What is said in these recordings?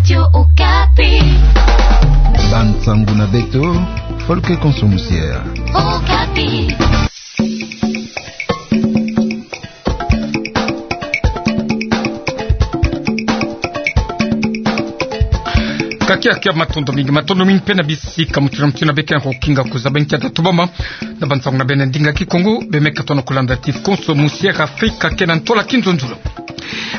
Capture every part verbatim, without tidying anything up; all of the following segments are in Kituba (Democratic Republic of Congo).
Radio Okapi. Bansangu na beto, Folke Konso Musiere. Okapi. Ka kiakia matondo mingi, matondo mingi mpe na bisika mutindu na mutindu beke na kokinga kuzaba nkia tatubama na bansangu na beno na ndinga Kikongo, bemeka tona kulanda T V Konso Musiere Afrika kena ntola kinzonzolo.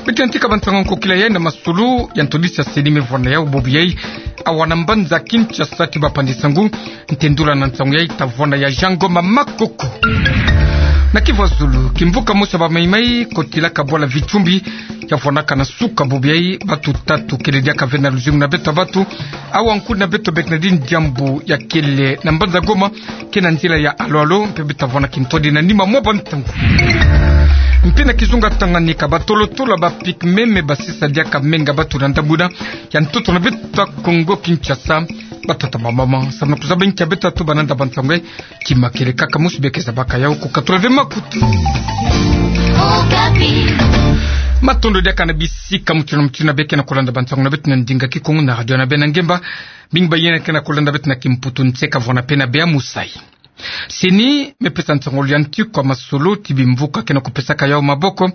Beto yantika bansangu ya nkokila yayi na masolo ya ntodisi ya CENI me vwanda yau bubu yayi awa na mbanza Kinshasa. Ti bapanzi nsangu, ntendula na nsangu yayi ta vwanda ya Jean Ngoma Makoko. Na Kivu ya Zulu, kimvuka mosi ya bamaimai kotilaka bwala Vichumbi, ya vwandaka na suka bubu yayi, batu tatu kele diaka ve na luzingu na beto ya batu. Awa nkundi na beto Bernardine Diambu ya kele na mbanza Goma, kena nzila ya alo-alo, mpe beta vwanda kintwadi na nima mwa bantangu. Mpe na kizunga Tanganyika, batolo-tolo ya ba Pygmées me basisa diaka menga batu na ndambu yina ya ntoto na beto ya Kongo Kinshasa. Batata, bamama, samu na kuzaba nkia beta tubana na bansangu yayi, kima kele kaka mosi beke zabaka yau, kukatula ve makutu. Okapi. Matondo diaka na bisika mutindu na mutindu beke na kulanda bansangu na beto na ndinga Kikongo na radio na beno na ngemba. Mingi bayina ke na kulanda beto na kimputu, nseka vwanda mpe na bea musayi. CENI me pesa nsongolo ya nti kwa masolo ti bimvuka ke na kupesaka yau maboko.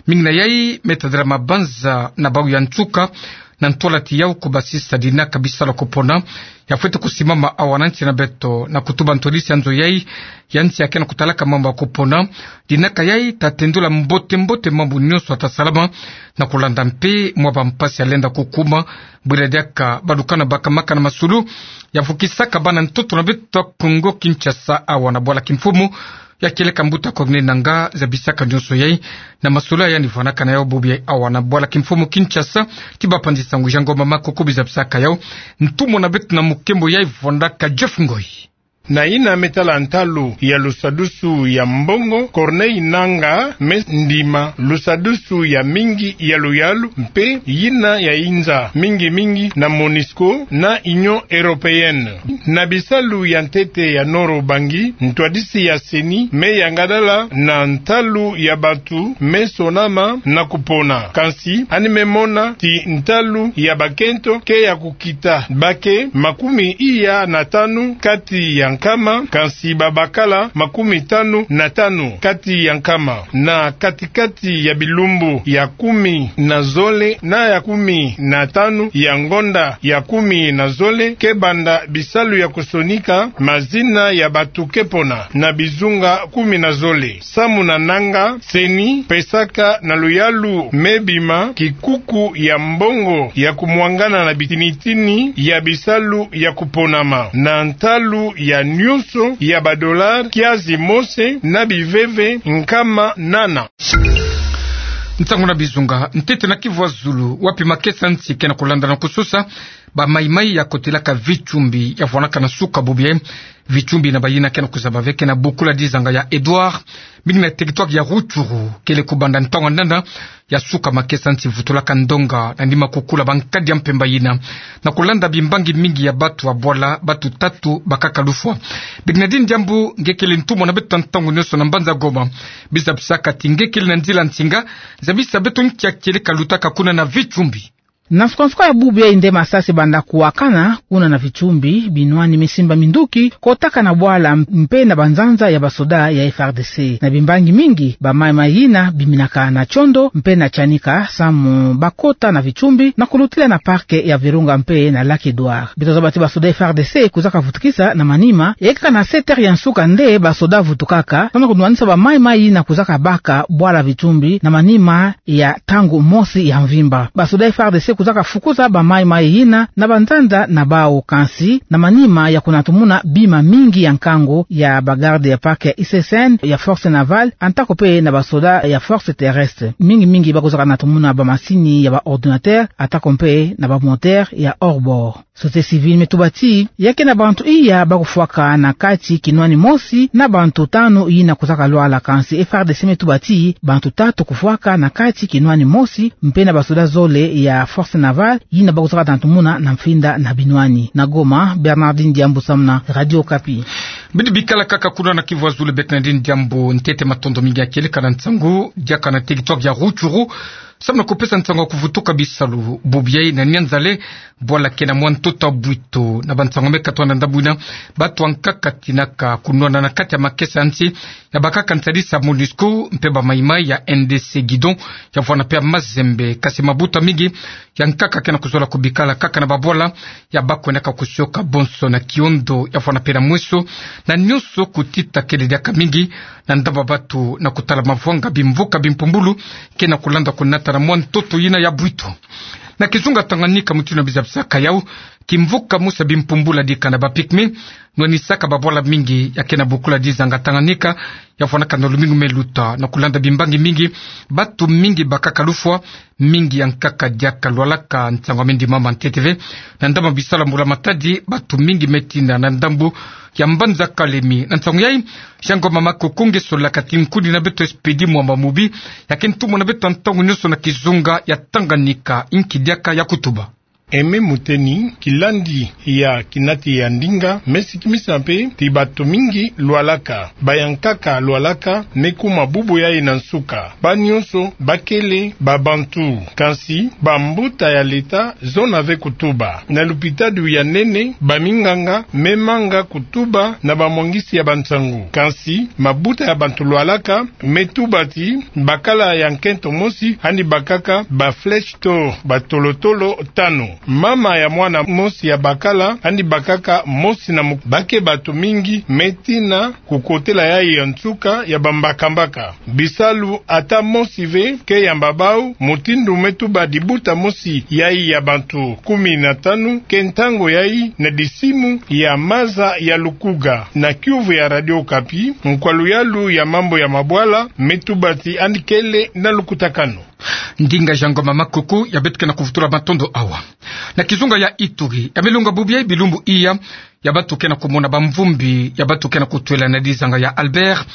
Mingi na yayi me tadila mabanza na bau ya nsuka, na ntwala ti yau kubasisa dinaka bisalu ya kupona ya fwete kusimama awa na nsi na beto, na kutuba ntodisi ya nzo yayi ya nsi ya ke na kutalaka mambu ya kupona. Dinaka yayi ta tendula mbote-mbote mambu nyonso ya ta salama, na kulanda mpe mwa bampasi ya lenda kukuma, bwila diaka badukana baka maka na masulu ya vukisaka bana ntoto na beto ya Kongo Kinshasa awa na bwala kimfumu ya kieleka mbuta Corneille Nangaa. Zabisaka nyonso yayi na masulu ya yandi vwanaka na yau bubu yayi awa na bwala kimfumu Kinshasa, ti bapanzi nsangu Jean Ngoma Makoko, bizabisaka yau. Ntumwa na beto na mukembo yayi vwandaka Jeff Ngoi. Na yina me tala ntalu ya lusadusu ya mbongo, Corneille Nangaa me ndima lusadusu ya mingi ya luyalu, mpe yina ya inza mingi-mingi na MONUSCO na Union Européenne. Na bisalu ya ntete ya Noro Ubangi, ntwadisi ya CENI me yangalala na ntalu ya batu me sonama na kupona. Kansi yandi me mona ti ntalu ya bakento ke ya kukita, ba ke makumi iya na tanu kati ya nkama, kansi babakala makumi tanu na tanu kati ya nkama. Na kati-kati ya bilumbu ya kumi na zole na ya kumi na tanu ya ngonda ya kumi na zole, ke banda bisalu ya kusonika mazina ya batu ke pona na bizunga kumi na zole. Samu na Nangaa, CENI pesaka na luyalu me bima kikuku ya mbongo ya kumwangana na bitini-tini ya bisalu ya kuponama, na ntalu ya nyonso ya ba dollars kiazi mose na biveve nkama nana. Nsangu na bizunga ntete na Kivu ya Zulu, wapi makesa nsi ke na kulanda na kusosa bamaimai ya kotilaka Vichumbi ya vwanaka na suka bubu yayi. Vichumbi na bayina ke na kuzaba ve ke na bukula dizanga ya Edouard, mingi na territoire ya Rutshuru, kele kubanda ntangu ya nana ya suka makesa nsi vutulaka ndonga na nima kukula bankadi ya mpemba yina. Na kulanda bimbangi mingi ya batu ya bwala, batu tatu bakaka lufwa. Bernardine Diambu, nge kele ntumwa na beto ntangu nyonso na mbanza Goma, bizabisaka ti nge kele na nzila nsinga, zabisa beto nkia kieleka lutaka kuna na Vichumbi. Na nsuka-nsuka ya bubu yayi nde masasi banda kuwakana kuna na Vichumbi, binwani me simba minduki kotaka na bwala mpe na banzanza ya basoda ya F R D C. Na bimbangi mingi, bamaimai yina biminaka na Tsiondo mpe na Tianika samu bakota na Vichumbi na kulutila na parc ya Virunga mpe na lac Edouard. Beto zaba ti basoda F R D C kuzaka vutukisa na manima, ekaka na sept heures ya nsuka nde basoda vutukaka samu na kunwanisa bamaimai yina kuzaka baka bwala Vichumbi na manima ya ntangu mosi ya mvimba. Basoda F R D C kuzaka fukuza bamaimai yina na banzanza na bau, kansi na manima ya kunatumuna bima mingi ya nkangu ya ba garde ya parc ya I C C N, ya force navale, atako mpe na basoda ya force terrestre. Mingi-mingi bakuzaka natumuna bamasini ya ba ordinateur, atako mpe na ba moteur ya hors-bord. Société civile me tuba ti ya ke na bantu iya bakufwaka na kati kinwani mosi na bantu tanu yina kuzaka lwala, kansi F R D C me tuba ti bantu tatu kufwaka na kati kinwani mosi, mpe na basoda zole ya force navale yina bakuzaka natumuna na mfinda na binwani. Na Goma, Bernardine Diambu samu na Radio Okapi. Bidi bikala kaka kuna na Kivu ya Zulu, Bernardine Diambu, ntete matondo mingi ya kieleka na nsangu diaka na territoire ya Rutshuru. Samu na kupesa nsangu ya kuvutuka bisalu bubu yayi na nianzale, bwala ke na mwa ntoto bwito na bansangu me katoa na ndambu ina, batu ya nkaka tinaka kunwana na kati ya makesa ya nsi, ya bakaka nsalisi ya MONUSCO mpe bamaimai ya N D C Guidon, ya vwanda mpe ya Mazembe, kasi mabuta mingi ya nkaka ke na kuzola kubikala kaka na babwala ya bakwendaka kusioka bonso na kiondo, ya vwanda mpe na mweso, na nionso kutita kele diaka mingi na ndambu ya batu na kutala mavwanga bimvuka bimpumbulu ke na kulenda kunata na mwa ntoto ina ya bwito. Na kizunga Tanganyika, mutindu na bizabisaka yawu, kimvuka mosi ya bimpumbulu yadika na ba pygmées nwanisaka babwala mingi ya ke na bokila dizanga Tanganyika, ya vwandaka na lumingu me luta. Na kulenda bimbangi mingi, batu mingi bakaka lufwa, mingi ya nkaka diaka lwalaka. Nsangu ya me ndimama ntete ve na ndambu ya bisalu ya mbula matadi, batu mingi me tina na ndambu ya mbanza Kalemi. Na nsangu yayi, Jean Ngoma Makoko nge solaka ti nkuni na beto Expédit Mwamba Mubi, ya ke ntumwa na beto ya ntangu nionso na kizunga ya Tanganyika. Inki diaka ya kutuba? Aimé Muteni, kilandi ya kinati ya ndinga, me sikimisa mpe ti batu mingi lwalaka, ba ya nkaka lwalaka, me kuma bubu yayi na nsuka ba nionso bakele babantu. Kansi bambuta ya leta zona ve kutuba. Na lupitalu ya nene, baminganga me manga kutuba na bamwangisi ya bansangu. Kansi mabuta ya bantu lwalaka me tuba ti bakala ya nkento mosi yandi bakaka ba flèche d'or, batolotolo tanu. Mama ya mwana mosi ya bakala yandi bakaka mosi na mu-, ba ke batu mingi me tina kukotela yayi ya nsuka ya bambakambaka. Bisalu ata mosi ve ke yamba bawu, mutindu me tuba dibuta mosi yayi ya bantu kumi na tanu, ke ntangu yayi na disimu ya maza ya Lukuga. Na kiuvu ya Radio Okapi, nkwa luyalu ya mambu ya mabwala me tuba ti yandi kele na lukutakanu. Ndinga Jean Ngoma Makoko ya beto ke na kuvutula matondo awa. Na kizunga ya Ituri, ya me longa bubu yayi bilumbu iya, ya batu ke na kumona bamvumbi ya batu ke na kutwela na dizanga ya Albert,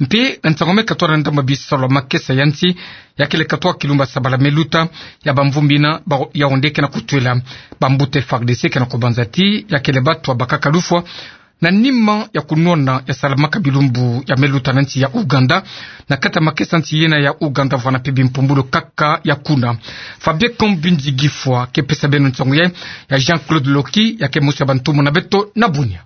mpe na nsangu me katoa na ndambu ya bisalu ya makesa ya nsi, ya kele katoa kilumbu ya sabala me luta, ya bamvumbi ina ba-, ya onde ke na kutwela. Bambuta F A R D C ke na kubanza ti ya kele batu ya bakaka lufwa na nima ya kunwana ya salamaka bilumbu ya me luta na nsi ya Ouganda, na kati ya makesa nsi yina ya Ouganda vwanda mpe bimpumbulu kaka ya kuna. Fabien Kambinzi Gifwa ke pesa beno nsangu yayi, ya Jean-Claude Loki, ya ke mosi ya bantumwa na beto na Bunia.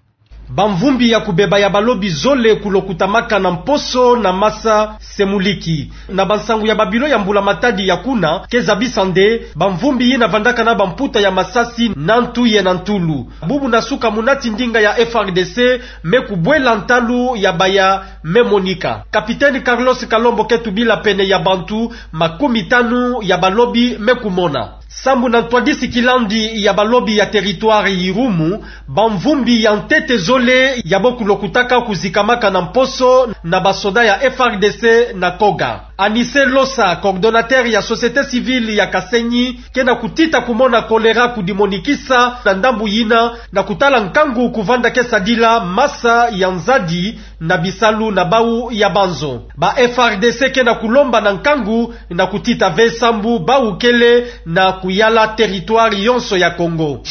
Bamvumbi ya kubeba ya balobi zole kulokutamaka na mposo na masa semuliki. Na bansangu ya babilo ya mbula matadi ya kuna ke zabisa nde bamvumbi yina vandaka na bamputa ya masasi na ntu ye na ntulu. Bubu na suka munati ndinga ya F A R D C me kubwela ntalu ya baya me monika. Capitaine Carlos Kalombo ke tubila pene ya bantu makumi tanu ya balobi me kumona. Sambu na ntwadisi kilandi ya balobi ya territoire Irumu, bamvumbi ya ntete zole ya bo kulokutaka kuzikamaka na mposo na basoda ya F A R D C na Koga. Anise Losa, coordonnateur ya société civile ya Kasenyi, ke na kutita kumona kolera kudimonikisa na ndambu yina, na kutala nkangu kuvanda ke sadila masa ya nzadi na bisalu na bawu ya banzo. Ba F A R D C ke na kulomba na nkangu na kutita ve sambu bawu kele na kuyala territoire yonso ya Kongo.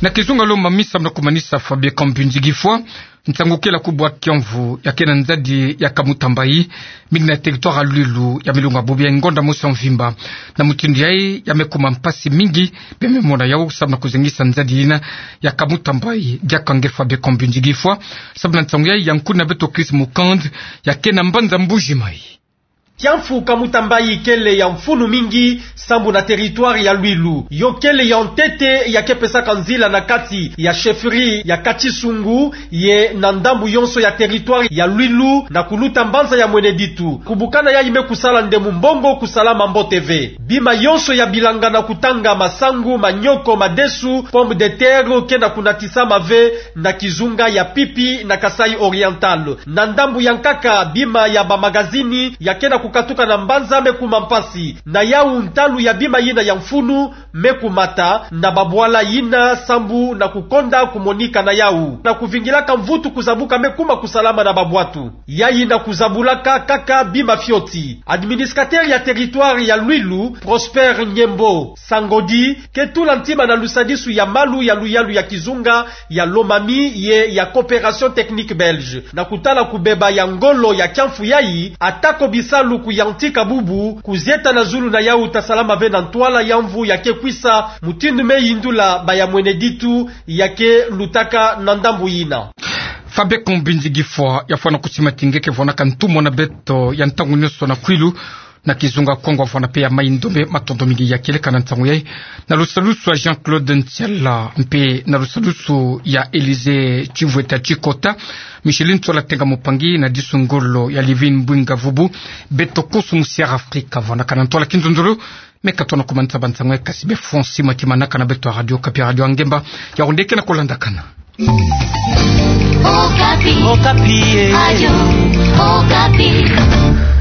Na kizunga Lomami, samu na kumanisa, Fabien Kambinzi Gifwa, nsangu kele kubwa kiamvu ya ke na nzadi ya Kamutamba-Yi, mingi na territoire ya Lwilu, ya me longa bubu yayi ngonda mosi ya mvimba. Na mutindu yayi ya me kuma mpasi mingi, mpe me mona yawu samu na kuzengisa nzadi yina ya Kamutamba-Yi. Diaka nge Fabien Kambinzi Gifwa, samu na nsangu yayi ya nkuni na beto Chris Mukand, ya ke na mbanza Mbuji-Mayi. Kiamvu Kamutamba-Yi kele ya mfunu mingi sambu na territoire ya Lwilu. Yo kele ya ntete ya ke pesaka nzila na kati ya chefferie ya Katisungu ye na ndambu yonso ya territoire ya Lwilu na kuluta mbanza ya Mweneditu. Kubukana yayi me kusala nde mumbongo kusalama mbote ve. Bima yonso ya bilanga na kutanga, masangu, manioko, madesu, pomme de terre, ke na kunatisama ve na kizunga ya Pipi na Kasaï Oriental. Na ndambu ya nkaka, bima ya bamagazini ya ke na kukatuka na mbanza me kuma mpasi. Na yawu, ntalu ya bima yina ya mfunu me kumata na babwala yina sambu na kukonda kumonika na yawu. Na kuvingilaka mvutu kuzabuka me kuma kusalama na babwatu. Yayi na kuzabulaka kaka bima fioti. Administrateur ya territoire ya Lwilu, Prosper Nyembo Sangodi, ke tula ntima na lusadisu ya malu ya luyalu ya kizunga ya Lomami ye ya Coopération Technique Belge na kutala kubeba ya ngolo ya kiamvu yayi, atako bisalu kuyantika bubu, kuzieta na zulu na yau tasalama ve na ntwala ya mvu ya ke kwisa, mutindu me yindula baya mwene ditu ya ke lutaka na ndambu yina. Fabeko mbinzi gifwa ya fwana kutima tingeke fwana ka ntumwa na beto ya ntangu nionso na kwilu, na kizunga Kongo fwana pe ya mai ndombe. Matondo mingi ya kieleka na ntangu yayi. Na lusalusu ya Jean-Claude Ntiala, mpe na lusalusu ya Élysée Tchivweta Tchikota, Micheline Tsola Tenga Mupangi, na disu ngolo ya Livine Mbwinga Vubu, beto konso musi ya Afrika fwana ka na ntwala kinzonzolo, me ka tona kumanisa bansango yayi kasi be fonsi makimanaka na beto ya Radio Okapi, Radio ya Ngemba, ya ondeke na kulandakana. Okapi. Okapi, eh. Radio Okapi.